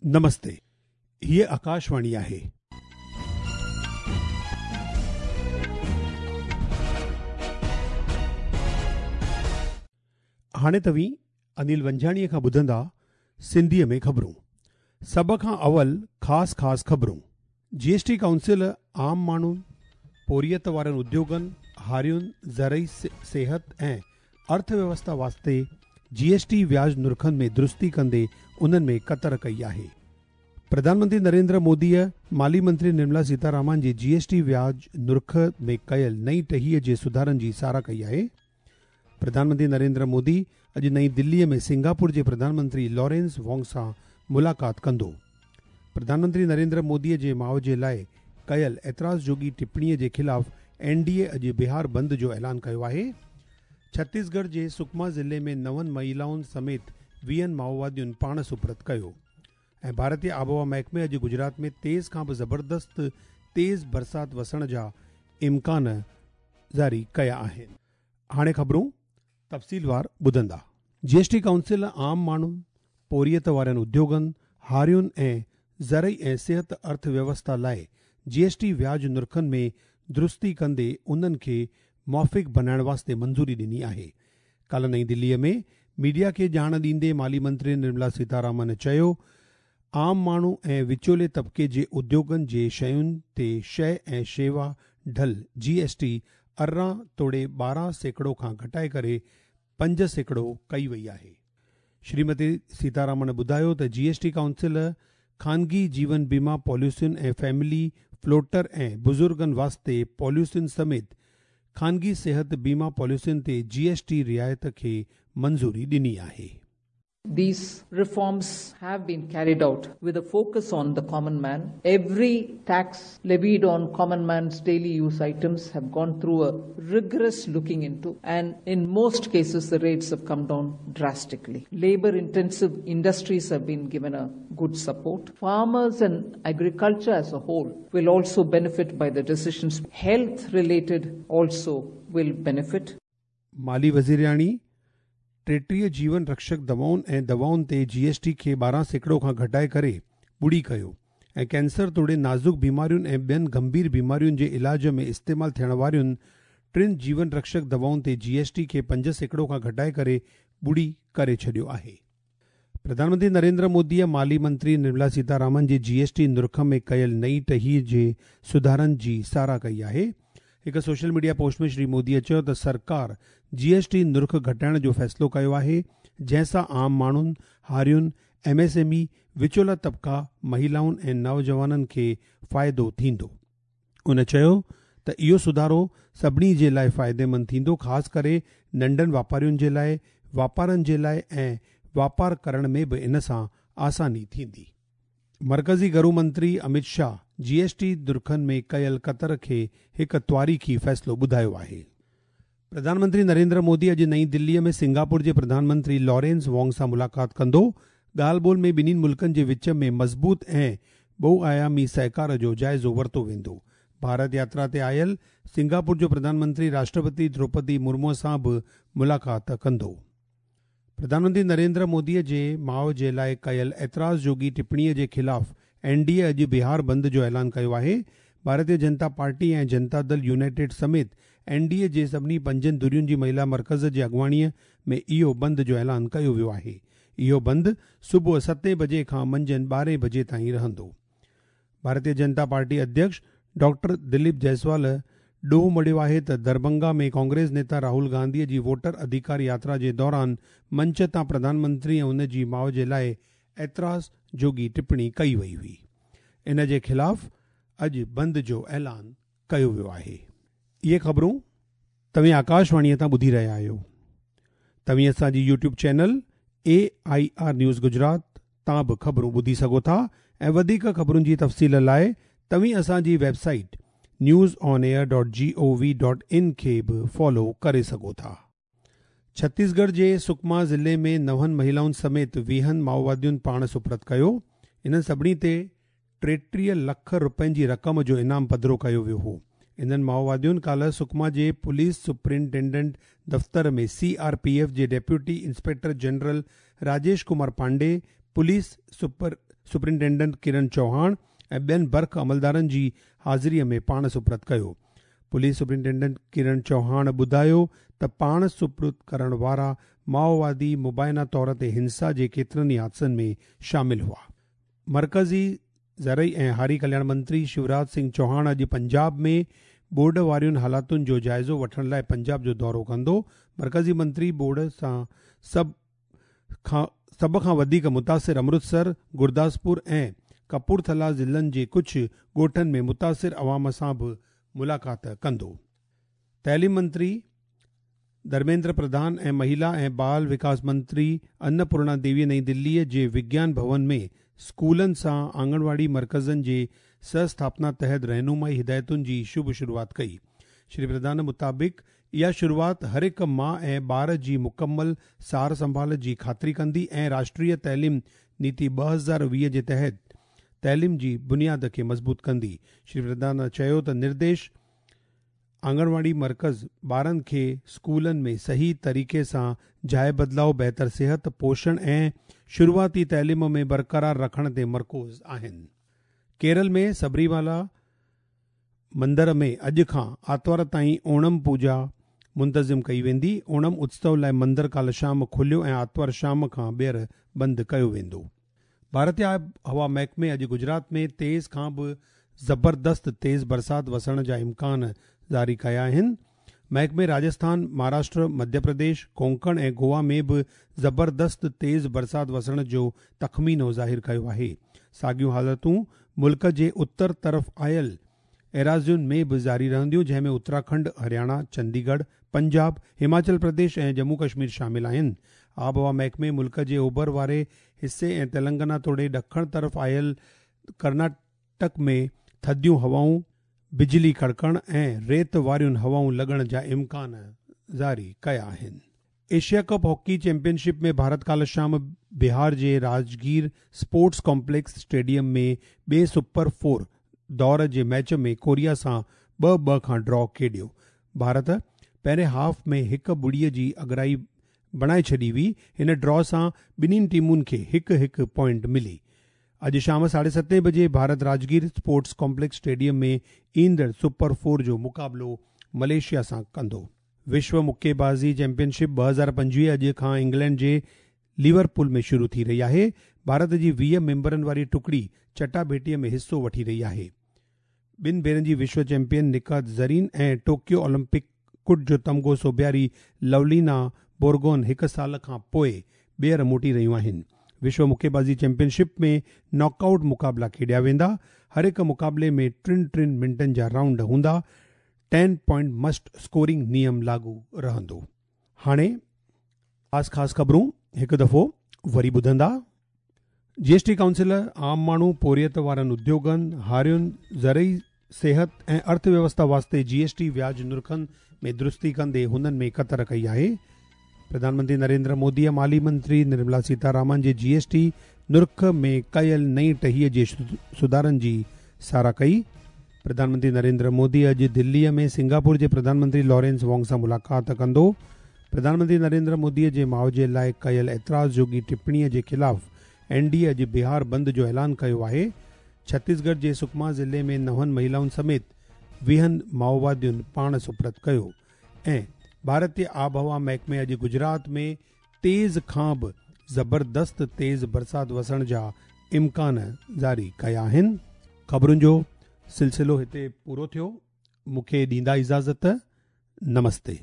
نمستي، هيء آڪاشواڻي آهي. هاڻي توهين انيل ونجهاڻيء کان ٻڌندا سنڌيء ۾ خبرون. سڀ کان اول خاص خاص خبرون. جي ايس ٽي ڪائونسل عام ماڻهن، پورهيت وارن اديوگن، هارين، زرعي صحت ۽ ارٿ ويوسٿا واسطي جي ايس ٽي وياج نرخن ۾ درستي ڪندي انهن ۾ ڪتر ڪئي آهي. پرڌان منتري نريندر موديء مالي منتري نرملا سيتارامان جي جي ايس ٽي وياج نرخ ۾ ڪيل نئين ٽهيء جي سڌارن جي ساراهه ڪئي آهي. پرڌان منتري نريندر مودي اڄ نئين دليء ۾ سنگاپور جي پرڌان منتري لارينس وانگ سان ملاقات ڪندو. پرڌان منتري نريندر موديء جي ماء جي لاء ڪيل اعتراض جوڳي ٽپڻيء جي خلاف اين ڊي اي اڄ بهار بند جو اعلان ڪيو آهي. ڇتيسڳڙهه جي سڪما ضلعي ۾ نون مهيلائن سميت ويهن مائووادين پاڻ سپرد ڪيو ۽ ڀارتي آبهوا محڪمي اڄ گجرات ۾ تيز کان به زبردست تيز برسات وسڻ جا امڪان جاري ڪيا آهن. هاڻي خبرون تفصيلوار ٻڌندا. جي ايس ٽي ڪائونسل عام ماڻهن، پورهيت وارن اديوگن، هارين ۽ زرعي ۽ صحت ارٿ ويوسٿا لاء جي ايس ٽي وياج نرخن ۾ درستي ڪندي انهن کي موافق بنائڻ واسطي منظوري ڏني آهي. ڪالهه نئين دلي ۾ ميڊيا کي ڄاڻ ڏيندي مالي منتري نرملا سيتارامن چيو عام ماڻهو ۽ وچولي طبقي جي اديوگن جي شين تي شيء ۽ شيوا ڍل، جي ايس ٽي، 18 توڙي 12% کان گهٽائي ڪري 5% ڪئي وئي آهي. شريمتي سيتارامن ٻڌايو ته جي ايس ٽي ڪائونسل خانگي جيون بيما پاليسين ۽ فيملي فلوٽر ۽ بزرگن واسطي پاليسين سميت خانگي صحت بيما پاليسين تي جي ايس ٽي رعايت کي منظوري ڏني آهي. These reforms have been carried out with a focus on the common man. Every tax levied on common man's daily use items have gone through a rigorous looking into, and in most cases the rates have come down drastically. Labor intensive industries have been given a good support. Farmers and agriculture as a whole will also benefit by the decisions. Health related also will benefit. مالي وزيرياڻي 33 جيون رڪشڪ دوائن ۽ دوائن تي جي S T کي 12% کان گهٽائي ڪري ٻڙي ڪيو ۽ ڪينسر توڙي نازڪ بيمارين ۽ ٻين گنڀير بيمارين جي علاج ۾ استعمال ٿيڻ وارين ٽن جيون رڪشڪ دوائن تي جي ايس ٽي کي 5% کان گهٽائي ڪري ٻڙي ڪري ڇڏيو آهي. پرڌان منتري نريندر موديء مالي منتري نرملا سيتارامن جي جي ايس ٽي نرخ ۾ ڪيل نئين ٽهيء جي سڌارن جي ساراهه ڪئي آهي. هڪ سوشل ميڊيا پوسٽ ۾ شري موديء چيو ته سرڪار جي ايس ٽي نرخ گهٽائڻ جو فيصلو ڪيو آهي، جنهن سان عام ماڻهن، هارين، ايم ايس ايم اي، وچولا طبقا، مهيلائن ۽ نوجوانن کي فائدو ٿيندو. هن چيو ته اهو سڌارو سڀني جي لاء فائديمند ٿيندو خاص ڪري ننڍن واپارين جي لاء، واپارن جي لاء ۽ واپار ڪرڻ ۾ به ان سان آساني ٿيندي. مرڪزي گهرو منتري امت شاهه جي ايس ٽي نرخن ۾ ڪيل ڪتر کي هڪ تواريخي فيصلو ٻڌايو آهي. پرڌان منتري نريندر مودي اڄ نئين دليء ۾ سنگاپور جي پرڌان منتري لارينس وانگ سان ملاقات ڪندو. ڳالهه ٻولهه ۾ ٻنهي ملڪن جي وچ ۾ مضبوط ۽ ٻه آيامي سهڪار جو جائزو ورتو ويندو. ڀارت ياترا تي آيل سنگاپور جو پرڌان منتري راشٽرپتي دروپدي مرمو سان به ملاقات ڪندو. پرڌان منتري نريندر موديء جي ماء جي لاء ڪيل اعتراض جوڳي ٽپڻيء جي خلاف اين ڊي اي اڄ بهار بند جو اعلان ڪيو آهي. ڀارتيه جنتا پارٽي ۽ جنتا دل يونائيٽيڊ سميت اين ڊي اي جي سڀني پنجن ڌرين جي مهيلا مرڪز جي اڳواڻيء ۾ اهو بند جو اعلان ڪيو ويو آهي. اهو بند صبح ستين بجي کان منجهند ٻارهين بجي تائين رهندو. ڀارتيه جنتا پارٽي اڌيڪش ڊاڪٽر دليپ جئسوال ڏوهه مڙهيو آهي ته دربنگا ۾ ڪانگريس نيتا راهول گانڌي جي ووٽر اڌيڪار ياترا جي دوران منچ تان پرڌان منتري ۽ ان جي ماء جي لاء اعتراض جوڳي ٽپڻي ڪئي وئي هئي. ان جي خلاف اڄ بند جو اعلان ڪيو ويو آهي. اهي خبرون توهين آڪاشواڻيء تان ٻڌي رهيا آهيو. توهين اسان جي YouTube channel A I R news Gujarat تان به خبرون ٻڌي سگهو ٿا ۽ وڌيڪ خبرن جي تفصيل لاء توهين اسان جي website news on air dot G O V dot in کي به فالو ڪري سگهو ٿا. ڇتيسڳڙهه جي سڪما ضلعي ۾ نون مهيلائن سميت ويهن مائووادين پاڻ سپرد ڪيو. انهن سڀني تي 33 لک رپين جي رقم جو انعام پڌرو ڪيو ويو هو. انهن مائووادين ڪالهه سڪما جي پوليس سپرنٽينڊنٽ دفتر ۾ سي آر پي ايف جي deputy inspector general Rajesh Kumar Pandey, police superintendent Karan Chauhan ۽ ٻين برک عملدارن جي حاضريء ۾ پاڻ سپرد ڪيو. پوليس سپرنٽينڊنٽ ڪرن چوهاڻ ٻڌايو ته پاڻ سپرد ڪرڻ وارا مائووادي مبينا طور تي هنسا جي ڪيترن ئي حادثن ۾ شامل هئا. مرڪزي زرعي ۽ هاري ڪلياڻ منتري شيوراج سنگهه چوهاڻ اڄ پنجاب ۾ ٻوڏ وارين حالتن جو جائزو وٺڻ لاء پنجاب جو دورو ڪندو. مرڪزي منتري ٻوڏ سان سڀ کان وڌيڪ متاثر امرتسر، گرداسپور ۽ ڪپورٿلا ضلعن جي ڪجهه ڳوٺن ۾ متاثر عوام سان به ملاقات ڪندو. تعليم منتري ڌرميندر پرڌان ۽ مهيلا ۽ بال وڪاس منتري انپورڻا ديوي نئين دليء جي وگيان ڀون ۾ اسڪولن سان آنگنواڙي مرڪزن جي سه اسٿاپنا تحت رهنمائي هدايتن جي شڀ شروعات ڪئي. شري پرڌان مطابق اها شروعات هر هڪ ماء ۽ ٻار جي مڪمل سار سنڀال جي خاطري ڪندي ۽ راشٽريه تعليم نيتي 2020 جي تحت تعليم جي بنياد کي مضبوط ڪندي. شري پرڌان چيو ته نرديش آنگنواڙي مرڪز ٻارن کي اسڪولن ۾ صحيح طريقي سان جاءِ بدلاء، بهتر صحت، پوشڻ ۽ شروعاتي تعليم ۾ برقرار رکڻ تي مرڪوز آهن. ڪيرل ۾ سبريمالا مندر ۾ اڄ کان آتوار تائين اوڻم پوڄا منتظم ڪئي ويندي. اوڻم اتسو لاء مندر ڪالهه شام کليو ۽ آتوار شام کان ٻيهر بند ڪيو ويندو. ڀارتي آبهوا محڪمي اڄ گجرات ۾ تيز کان به زبردست تيز برسات وسڻ جا امڪان جاري ڪيا آهن. محڪمي راجسٿان، مهاراشٽر، مڌيه پرديش، ڪونڪڻ ۽ گوا ۾ به زبردست تيز برسات وسڻ جو تخمينو ظاهر ڪيو آهي. ساڳيون حالتون ملڪ جي اتر طرف آيل ايراضين ۾ به جاري رهنديون جنهن ۾ اتراکنڊ، هرياڻا، چنديڳڙهه، پنجاب، هماچل پرديش ۽ ڄمون ڪشمير شامل آهن. آبهوا محڪمي ملڪ جي اوڀر واري حصي ۽ تلنگانا توڙي ڏکڻ طرف آيل ڪرناٽڪ ۾ ٿڌيون هوائون، بجلي ڪڙڪڻ ۽ ريت واريون هوائون لڳڻ جا امڪان جاري ڪيا آهن. Asia cup hockey championship ۾ Bharat ڪالهه شام بهار جي راجگير اسپورٽس ڪامپليڪس اسٽيڊيم ۾ ٻئي سپر فور دور جي ميچ ۾ ڪوريا سان 2-2 کان ڊرا کيڏيو. ڀارت پهرين هاف ۾ 1-0 جي اڳرائي بڻائي ڇڏي هئي. هن ڊرا سان ٻنهي ٽيمن کي 1-1 پوائنٽ ملي. اڄ شام 7:30 بجي Bharat Rajgir sports complex stadium ۾ ايندڙ سپر فور جو مقابلو ملائيشيا سان ڪندو. وشو مڪي بازي چيمپيئن شپ 2025 اڄ کان انگلينڊ جي ليورپول ۾ شروع ٿي رهي آهي. ڀارت جي 20 ميمبرن واري ٽڪڙي چٽاڀيٽيء ۾ حصو وٺي رهي آهي. ٻن ڀيرن جي وشو چيمپيئن نڪهت زرين ۽ ٽوڪيو اولمپڪ ڪٽ جو تمغو سوڀياري لولينا بورگون هڪ سال کان پوء ٻيهر موٽي رهيون آهن. وشو مڪي بازي چيمپيئن شپ ۾ ناڪ آئوٽ مقابلا کيڏيا ويندا. هر هڪ مقابلي ۾ ٽن ٽن منٽن جا رائونڊ هوندا. 10 پوائنٽ مسٽ اسڪورنگ نيم لاڳو رهندو. هاڻي خاص خاص خبرون هڪ دفعو وري ٻڌندا. جي ايس ٽي ڪائونسل عام ماڻهو، پورهيت وارن اديوگن، هارين، زرعي صحت ۽ ارٿ ويوسٿا واسطي جي ايس ٽي وياج نرخن ۾ درستي ڪندي هنن ۾ ڪتر ڪئي آهي. پرڌان منتري نريندر مودي مالي منتري نرملا سيتارامان جي جي ايس ٽي نرخ ۾ ڪيل نئين ٽهيء جي سڌارن جي ساراهه ڪئي. پرڌان منتري نريندر مودي اڄ دليء ۾ سنگاپور جي پرڌان منتري لارينس وانگ سان ملاقات ڪندو. پرڌان منتري نريندر مودي جي ماء جي لاء ڪيل اعتراض جوڳي ٽپڻيء جي خلاف اين ڊي اي اڄ بهار بند جو اعلان ڪيو آهي. ڇتيسڳڙهه جي سڪما ضلعي ۾ نون مهيلائن سميت 20 مائووادين پاڻ سپرد ڪيو ۽ ڀارتي آبهوا محڪمي اڄ گجرات ۾ تيز کان به زبردست تيز برسات وسڻ جا امڪان جاري ڪيا آهن. خبرن جو سلسلو هتي پورو ٿيو. مون کي ڏيندا اجازت. نمستي.